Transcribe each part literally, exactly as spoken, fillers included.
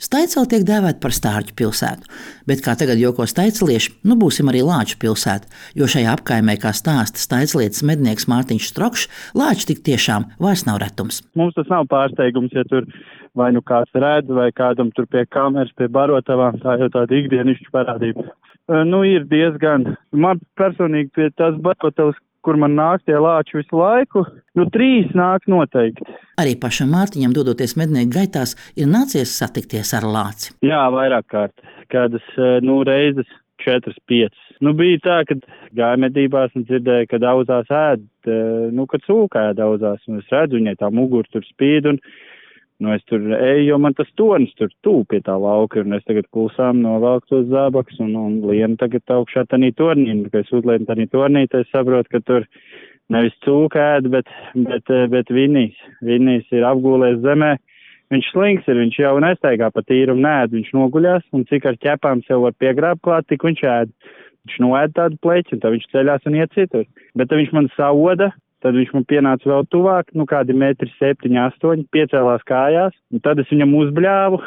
Staicele tiek dēvēta par stārķu pilsētu, bet, kā tagad joko staicelieši, nu būsim arī lāču pilsēta, jo šajā apkaimē, kā stāsta staicelietes mednieks Mārtiņš Strokšs, lāči tik tiešām vairs nav retums. Mums tas nav pārsteigums, ja tur vai nu kāds redz, vai kādam tur pie kameras, pie barotavām, tā jau tāda ikdienišķa parādība. Nu, ir diezgan, man personīgi pie tās barotavas, kur man nāk tie lāči visu laiku, nu trīs nāk noteikti. Arī pašam Mārtiņam, dodoties mednieku gaitās, ir nācies satikties ar lāci. Jā, vairāk kārt. Kādas, nu, reizes četras, piecas. Nu, bija tā, kad gāja medībās un dzirdēja, kad auzās ēd, nu, kad sūka ēd auzās, un es redzu, viņai tā mugura tur spīd, un, nu, es tur eju, jo man tas tornis tur tūp pie tā lauka, un es tagad klusām novelku tos zābakus, un, un lienu tagad augšā tanī tornī, un, kad es uzlienu tanī tornī, tad es saprotu, ka tur nevis cūka ēd, bet, bet, bet vinīs. Vinīs ir apgūlēs zemē. Viņš slinks ir, viņš jau nestaigā pa tīrumu nēd, viņš noguļās, un cik ar ķepām sev var piegrābt klāt, tik viņš ēd. Viņš noēd tādu pleķi, un tad viņš ceļās un iet citur. Bet tad viņš man sauda, tad viņš man pienāca vēl tuvāk, nu kādi metri septiņi, astoņi, piecēlās kājās, un tad es viņam uzbļāvu,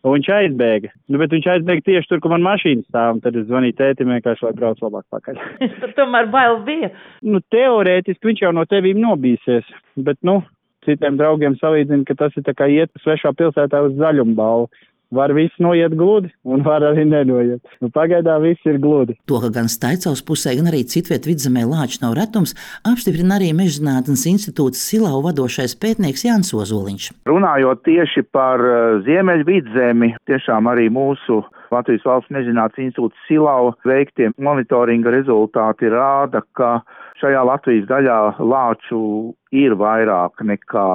un viņš aizbēga. Nu, bet viņš aizbēga tieši tur, kur man mašīna stāv, un tad es zvanīju tētim vienkārši, lai brauc labāk pakaļ. Tur tomēr bail bija. Nu, teorētiski viņš jau no tevīm nobīsies, bet, nu, citiem draugiem salīdzina, ka tas ir tā kā iet svešā pilsētā uz zaļumu balvu. Var viss noiet gludi, un var arī nenoiet. Nu, pagaidā viss ir gludi. To, ka gan Staicels pusē, gan arī citviet Vidzemē lāči nav retums, apstiprina arī Mežzinātnes institūts Silau vadošais pētnieks Jānis Ozoliņš. Runājot tieši par Ziemeļu Vidzemi, tiešām arī mūsu Latvijas Valsts Mežzinātnes institūts Silau veiktie monitoringa rezultāti rāda, ka šajā Latvijas daļā lāču ir vairāk nekā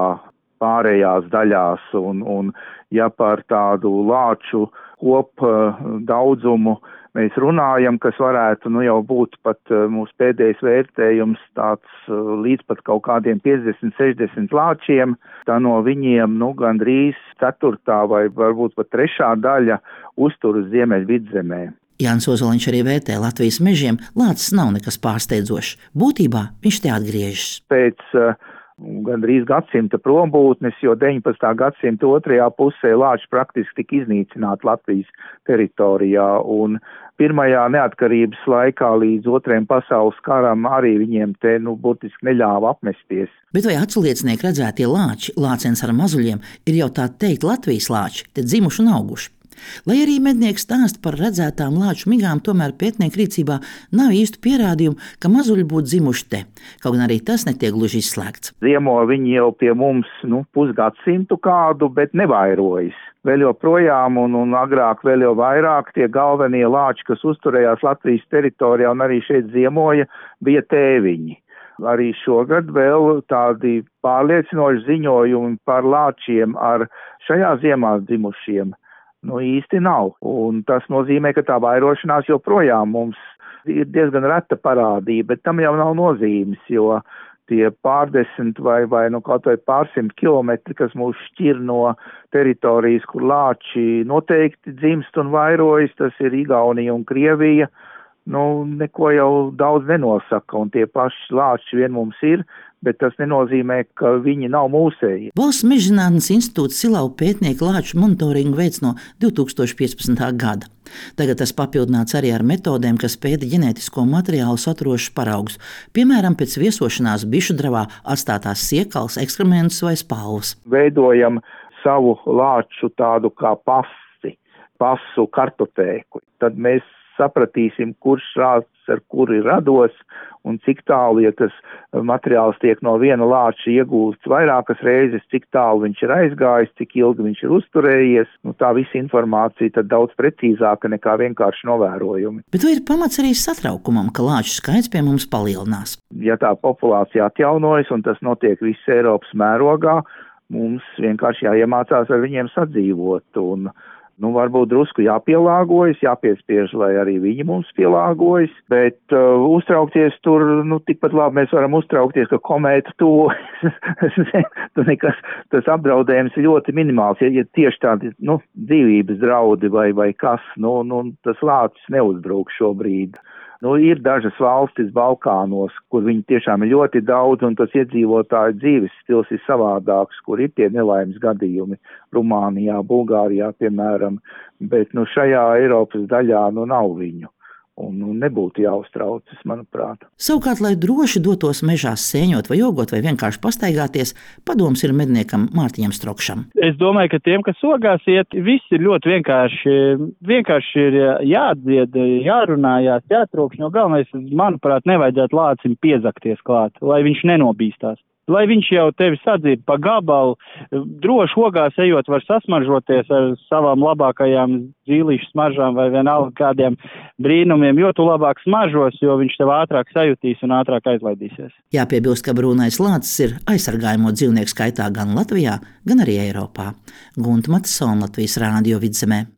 pārējās daļās, un, un ja par tādu lāču kop daudzumu mēs runājam, kas varētu nu jau būt pat mūsu pēdējais vērtējums tāds līdz pat kaut kādiem piecdesmit, sešdesmit lāčiem, tā no viņiem nu gandrīz ceturtā vai varbūt pat trešā daļa uztur uz Ziemeļu Vidzemē. Jānis Ozoliņš arī vērtē Latvijas mežiem, lācis nav nekas pārsteidzošs. Būtībā viņš te atgriežas. Pēc uh, gandrīz gadsimta prombūtnes, jo deviņpadsmitā gadsimta otrajā pusē lāči praktiski tika iznīcināti Latvijas teritorijā, un pirmajā neatkarības laikā līdz otrajam pasaules karam arī viņiem te, nu, burtiski neļāva apmesties. Bet vai aculiecinieki redzētie lāči, lācens ar mazuļiem, ir jau tā teikt Latvijas lāči, te dzimuši un auguši? Lai arī mednieks stāsta par redzētām lāču migām, tomēr pētnieku rīcībā nav īstu pierādījumu, ka mazuļi būtu dzimuši te, kaut gan arī tas netiek gluži izslēgts. Ziemo viņi jau pie mums nu, pusgadsimtu kādu, bet nevairojas. Vēl joprojām un, un agrāk vēl jau vairāk tie galvenie lāči, kas uzturējās Latvijas teritorijā un arī šeit ziemoja, bija tēviņi. Arī šogad vēl tādi pārliecinoši ziņojumi par lāčiem ar šajā ziemā dzimušiem nu īsti nav, un tas nozīmē, ka tā vairošanās joprojām mums ir diezgan reta parādība, bet tam jau nav nozīmes, jo tie pārdesmit vai, vai nu kaut vai pārsimt kilometri, kas mūs šķir no teritorijas, kur lāči noteikti dzimst un vairojas, tas ir Igaunija un Krievija, nu neko jau daudz nenosaka, un tie paši lāči vien mums ir, bet tas nenozīmē, ka viņi nav mūsēji. Valsts Mežzinātnes institūts Silau pētnieku lāču monitoringu veic no divi tūkstoši piecpadsmitā gada. Tagad tas papildināts arī ar metodēm, kas pēta ģenētisko materiālu saturošus paraugus, piemēram, pēc viesošanās bišu dravā atstātās siekals, ekskrementus vai spalvas. Veidojam savu lāču tādu kā pasi, pasu kartotēku. Tad mēs sapratīsim, kurš rāds ar kuri rados un cik tālu, ja tas materiāls tiek no viena lāča iegūsts vairākas reizes, cik tālu viņš ir aizgājis, cik ilgi viņš ir uzturējies. Nu, tā visa informācija tad daudz precīzāka nekā vienkārši novērojumi. Bet vai ir pamats arī satraukumam, ka lāču skaits pie mums palielinās? Ja tā populācija atjaunojas un tas notiek viss Eiropas mērogā, mums vienkārši jāiemācās ar viņiem sadzīvot un nu, varbūt drusku jāpielāgojas, jāpiespiež, lai arī viņi mums pielāgojas, bet uh, uztraukties tur, nu, tikpat labi mēs varam uztraukties, ka komēta tuvu, nekas, tas apdraudējums ir ļoti minimāls, ja, ja tieši tādi, nu, dzīvības draudi vai, vai kas, nu, nu, tas lācis neuzbrūk šobrīd. Nu, ir dažas valstis Balkānos, kur viņi tiešām ir ļoti daudz, un tas iedzīvotāju dzīves stils ir savādāks, kur ir tie nelaimes gadījumi Rumānijā, Bulgārijā, piemēram, bet nu, šajā Eiropas daļā nu, nav viņu. Un nu, nebūtu jāuztraucas, manuprāt. Savukārt, lai droši dotos mežās sēņot vai jogot vai vienkārši pastaigāties, padoms ir medniekam Mārtiņam Strokšam. Es domāju, ka tiem, kas ogās iet, viss ir ļoti vienkārši. Vienkārši ir jādzied, jārunājās, jātrokšņo. Galvenais, manuprāt, nevajadzētu lācim piezakties klāt, lai viņš nenobīstās. Lai viņš jau tevi sadzird pa gabalu, droši ogās ejot var sasmaržoties ar savām labākajām zīlīšu smaržām vai vienalga kādiem brīnumiem, jo tu labāk smaržos, jo viņš tev ātrāk sajutīs un ātrāk aizlaidīsies. Jāpiebilst, ka brūnais lācis ir aizsargājamo dzīvnieku skaitā gan Latvijā, gan arī Eiropā. Gunta Matisona, Latvijas Rādio Vidzemē.